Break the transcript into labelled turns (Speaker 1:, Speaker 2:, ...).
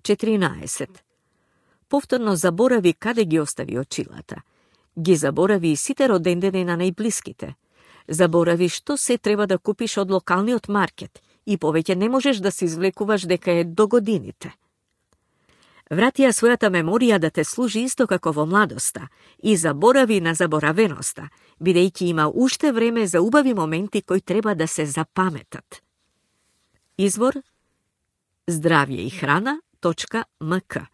Speaker 1: 14. Повторно заборави каде ги остави очилата. Ги заборави и сите родендени на најблиските. Заборави што се треба да купиш од локалниот маркет и повеќе не можеш да се извлекуваш дека е до годините. Врати ја својата меморија да те служи исто како во младоста и заборави на заборавеноста, бидејќи има уште време за убави моменти кои треба да се запаметат. Извор здравје и храна.мк